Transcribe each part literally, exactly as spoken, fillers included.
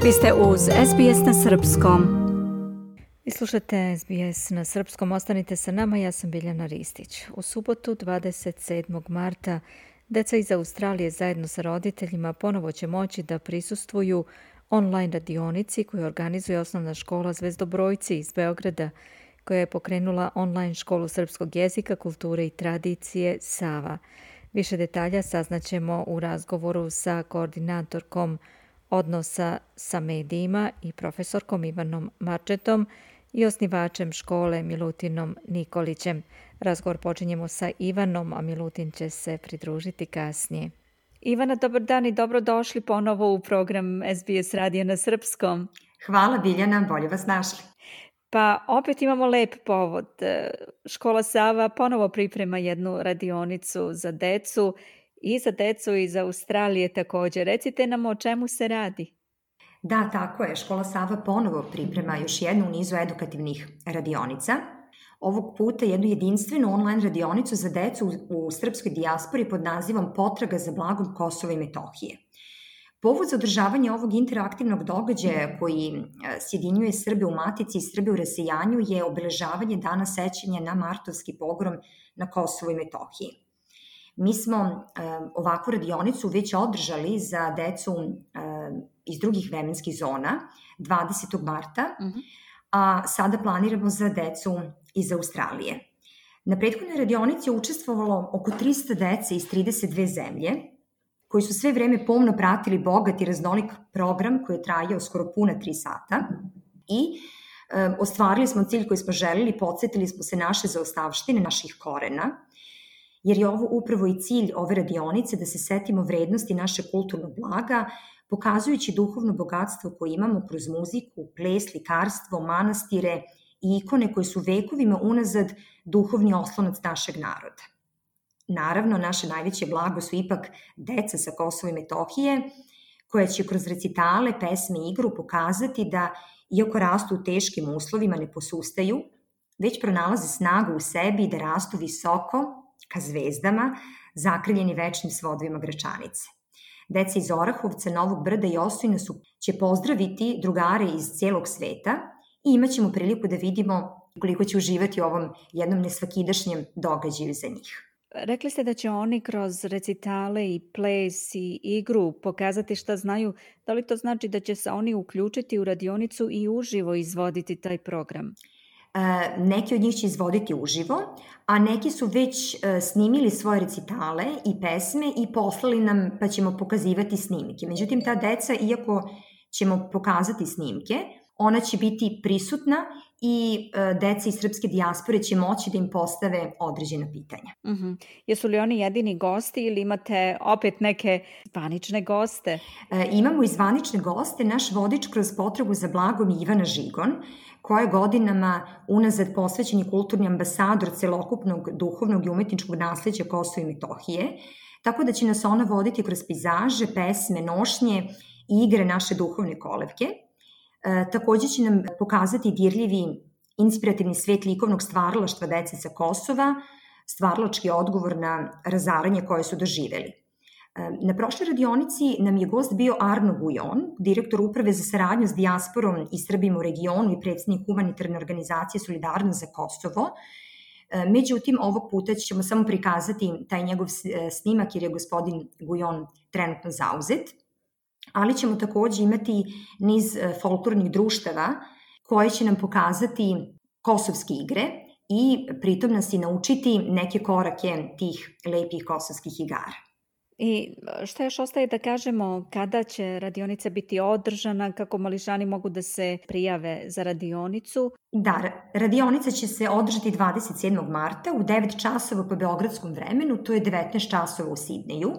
Vi ste uz S B S na srpskom. Vi slušate S B S na srpskom, ostanite sa nama, ja sam Biljana Ristić. U subotu dvadeset sedmog marta deca iz Australije zajedno sa roditeljima ponovo će moći da prisustvuju online radionici koju organizuje osnovna škola Zvezdobrojci iz Beograda, koja je pokrenula online školu srpskog jezika, kulture i tradicije Sava. Više detalja saznaćemo u razgovoru sa koordinatorkom odnosa sa medijima i profesorkom Ivanom Marčetom i osnivačem škole Milutinom Nikolićem. Razgovor počinjemo sa Ivanom, a Milutin će se pridružiti kasnije. Ivana, dobar dan i dobrodošli ponovo u program S B S radija na srpskom. Hvala Biljana, bolje vas našli. Pa opet imamo lep povod. Škola Sava ponovo priprema jednu radionicu za decu i za decu iz Australije također. Recite nam o čemu se radi. Da, tako je. Škola Sava ponovo priprema još jednu u nizu edukativnih radionica. Ovog puta jednu jedinstvenu online radionicu za decu u, u srpskoj dijaspori pod nazivom Potraga za blagom Kosova i Metohije. Povod za održavanje ovog interaktivnog događaja koji sjedinjuje Srbe u Matici i Srbe u rasejanju je obeležavanje Dana sećanja na martovski pogrom na Kosovu i Metohiji. Mi smo e, ovakvu radionicu već održali za decu e, iz drugih vremenskih zona dvadesetog marta, mm-hmm. a sada planiramo za decu iz Australije. Na prethodnoj radionici je učestvovalo oko trista dece iz trideset dve zemlje, koji su sve vreme pomno pratili bogat i raznolik program koji je trajao skoro puna tri sata i e, ostvarili smo cilj koji smo želili, podsjetili smo se naše zaostavštine, naših korena, jer je ovo upravo i cilj ove radionice da se setimo vrednosti naše kulturnog blaga, pokazujući duhovno bogatstvo koje imamo kroz muziku, ples, likarstvo, manastire i ikone koje su vekovima unazad duhovni oslonac našeg naroda. Naravno, naše najveće blago su ipak deca sa Kosova i Metohije, koja će kroz recitale, pesme i igru pokazati da, iako rastu u teškim uslovima, ne posustaju, već pronalaze snagu u sebi i da rastu visoko, ka zvezdama, zakrivljeni večnim svodovima Gračanice. Deca iz Orahovca, Novog Brda i Osojna su, će pozdraviti drugare iz cijelog sveta i imat ćemo priliku da vidimo koliko će uživati u ovom jednom nesvakidašnjem događaju za njih. Rekli ste da će oni kroz recitale i ples i igru pokazati šta znaju. Da li to znači da će se oni uključiti u radionicu i uživo izvoditi taj program? E, neki od njih će izvoditi uživo, a neki su već e, snimili svoje recitale i pesme i poslali nam, pa ćemo pokazivati snimke. Međutim, ta deca, iako ćemo pokazati snimke, ona će biti prisutna i e, deca iz srpske dijaspore će moći da im postave određena pitanja. Uh-huh. Jesu li oni jedini gosti ili imate opet neke zvanične goste? E, imamo i zvanične goste. Naš vodič kroz potragu za blagom je Ivana Žigon, koja je godinama unazad posvećen kulturni ambasador celokupnog duhovnog i umetničkog nasleđa Kosova i Metohije, tako da će nas ona voditi kroz pejzaže, pesme, nošnje i igre naše duhovne kolevke. E, također će nam pokazati dirljivi inspirativni svet likovnog stvaralaštva dece sa Kosova, stvaralački odgovor na razaranje koje su doživeli. E, na prošloj radionici nam je gost bio Arno Gujon, direktor uprave za saradnju s dijasporom i Srbima u regionu i predsjednik humanitarne organizacije Solidarnost za Kosovo. E, međutim, ovog puta ćemo samo prikazati taj njegov snimak jer je gospodin Gujon trenutno zauzet, ali ćemo također imati niz folklornih društava koje će nam pokazati kosovske igre i pritom nas i naučiti neke korake tih lepih kosovskih igara. I šta još ostaje da kažemo kada će radionica biti održana, kako mališani mogu da se prijave za radionicu? Da, radionica će se održati dvadeset sedmog marta u devet časova po beogradskom vremenu, to je devetnaest časova u Sidneju.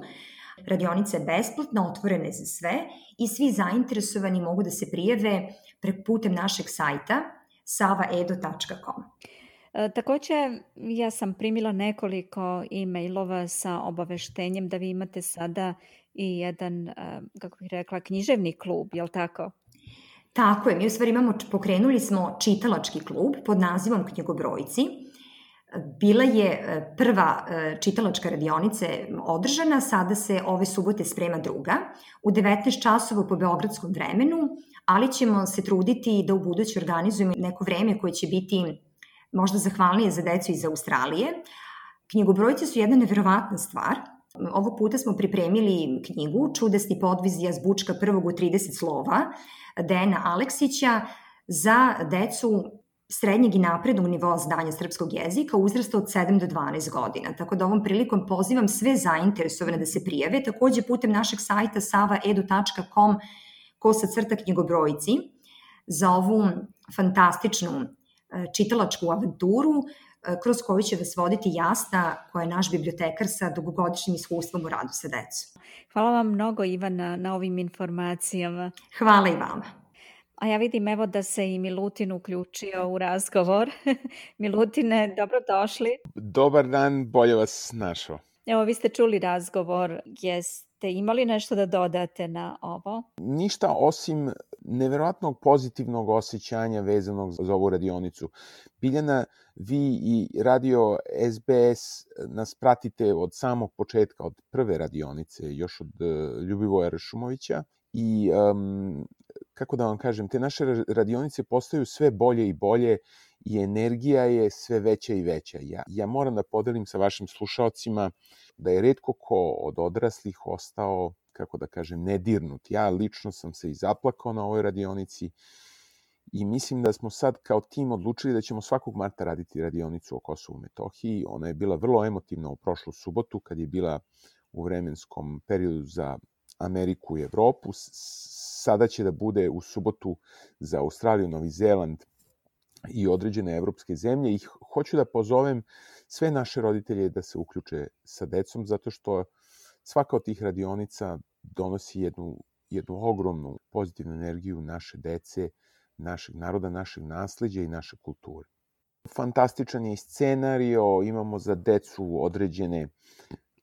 Radionica je besplatna, otvorena je za sve i svi zainteresovani mogu da se prijave preko putem našeg sajta sava edo tačka com. E, također, ja sam primila nekoliko e-mailova sa obaveštenjem da vi imate sada i jedan, kako bih rekla, književni klub, je li tako? Tako je, mi u stvari imamo, pokrenuli smo čitalački klub pod nazivom Knjigobrojci. Bila je prva čitalačka radionica održana, sada se ove subote sprema druga, u devetnaest časova po beogradskom vremenu, ali ćemo se truditi da u buduće organizujemo neko vreme koje će biti možda zahvalnije za decu iz Australije. Knjigobrojci su jedna neverovatna stvar. Ovog puta smo pripremili knjigu Čudesni podvizi azbučka prvog u trideset slova Dejana Aleksića za decu srednjeg i naprednog nivoa znanja srpskog jezika uzrasta od sedam do dvanaest godina. Tako da ovom prilikom pozivam sve zainteresovane da se prijave, takođe putem našeg sajta sava edu tačka com kosa crta knjigobrojci za ovu fantastičnu čitalačku avanturu kroz koju će vas voditi Jasna, koja je naš bibliotekar sa dugogodišnjim iskustvom u radu sa decom. Hvala vam mnogo, Ivana, na ovim informacijama. Hvala i vama. A ja vidim evo da se i Milutin uključio u razgovor. Milutine, dobrodošli. Dobar dan, bolje vas našao. Evo, vi ste čuli razgovor. Jeste imali nešto da dodate na ovo? Ništa osim neverovatnog pozitivnog osjećanja vezanog za ovu radionicu. Biljana, vi i radio es be es nas pratite od samog početka, od prve radionice, još od Ljubivoja Ršumovića. I, um, kako da vam kažem, te naše radionice postaju sve bolje i bolje i energija je sve veća i veća. Ja, ja moram da podelim sa vašim slušaocima da je retko ko od odraslih ostao, kako da kažem, nedirnut. Ja lično sam se i zaplakao na ovoj radionici i mislim da smo sad kao tim odlučili da ćemo svakog marta raditi radionicu o Kosovu i Metohiji. Ona je bila vrlo emotivna u prošlu subotu kad je bila u vremenskom periodu za Ameriku i Evropu. Sada će da bude u subotu za Australiju, Novi Zeland i određene evropske zemlje. I hoću da pozovem sve naše roditelje da se uključe sa decom, zato što svaka od tih radionica donosi jednu, jednu ogromnu pozitivnu energiju naše dece, našeg naroda, našeg nasleđa i naše kulture. Fantastičan je i scenario, imamo za decu određene,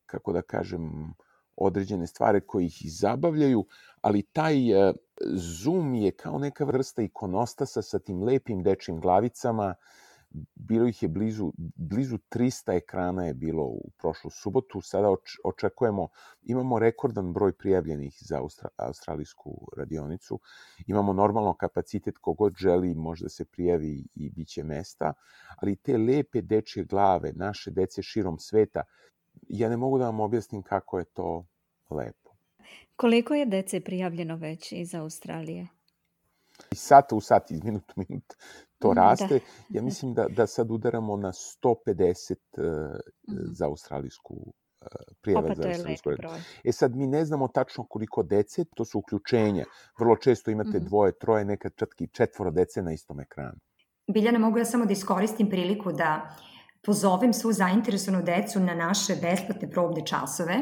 kako da kažem, određene stvari koje ih i zabavljaju, ali taj uh, Zoom je kao neka vrsta ikonostasa sa tim lepim dečjim glavicama. Bilo ih je blizu, blizu trista ekrana je bilo u prošlu subotu. Sada oč, očekujemo, imamo rekordan broj prijavljenih za austra, australijsku radionicu. Imamo normalno kapacitet, kogod želi može da se prijavi i bit će mesta, ali te lepe dečje glave, naše dece širom sveta, ja ne mogu da vam objasnim kako je to lepo. Koliko je dece prijavljeno već iz Australije? Iz sata u sat, iz minut u minut to raste. Da. Ja mislim da, da sad udaramo na sto pedeset uh, mm. za australijsku uh, prijave. Opa, to je lep broj. E sad, mi ne znamo tačno koliko dece, to su uključenja. Vrlo često imate mm. dvoje, troje, nekad čak i četvoro dece na istom ekranu. Biljana, mogu ja samo da iskoristim priliku da pozovem svu zainteresovanu decu na naše besplatne probne časove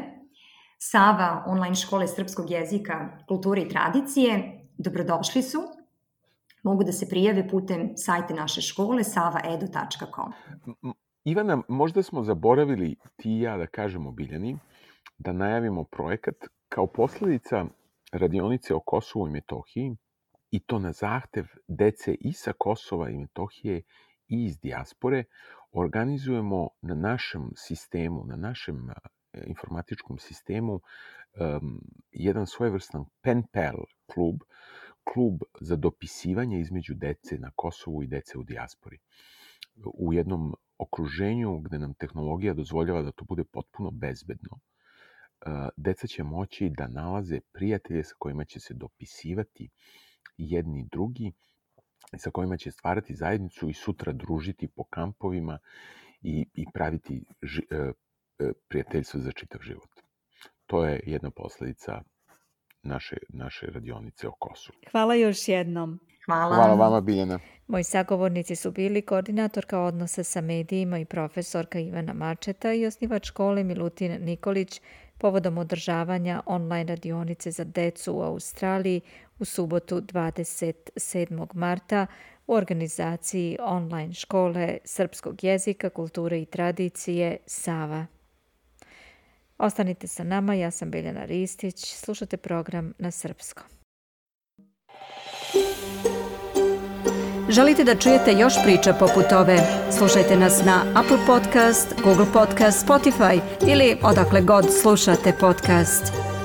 Sava online škole srpskog jezika, kulture i tradicije. Dobrodošli su. Mogu da se prijave putem sajta naše škole sava edu tačka com. Ivana, možda smo zaboravili ti i ja da kažemo Biljani, da najavimo projekat kao posledica radionice o Kosovu i Metohiji, i to na zahtev dece i sa Kosova i Metohije i iz dijaspore. Organizujemo na našem sistemu, na našem informatičkom sistemu um, jedan svojevrstan pen pal klub, klub za dopisivanje između dece na Kosovu i dece u dijaspori. U jednom okruženju gde nam tehnologija dozvoljava da to bude potpuno bezbedno, uh, deca će moći da nalaze prijatelje sa kojima će se dopisivati jedni drugi, sa kojima će stvarati zajednicu i sutra družiti po kampovima i, i praviti ži, uh, prijateljstvo za čitav život. To je jedna posledica naše, naše radionice o Kosovu. Hvala još jednom. Hvala. Hvala vama, Biljana. Moji sagovornici su bili koordinatorka odnosa sa medijima i profesorka Ivana Mačeta i osnivač škole Milutin Nikolić povodom održavanja online radionice za decu u Australiji u subotu dvadeset sedmog marta u organizaciji online škole srpskog jezika, kulture i tradicije Sava. Ostanite sa nama, ja sam Biljana Ristić, slušate program na srpskom. Želite da čujete još priča poput ove? Slušajte nas na Apple Podcast, Google Podcast, Spotify ili odakle god slušate podcast.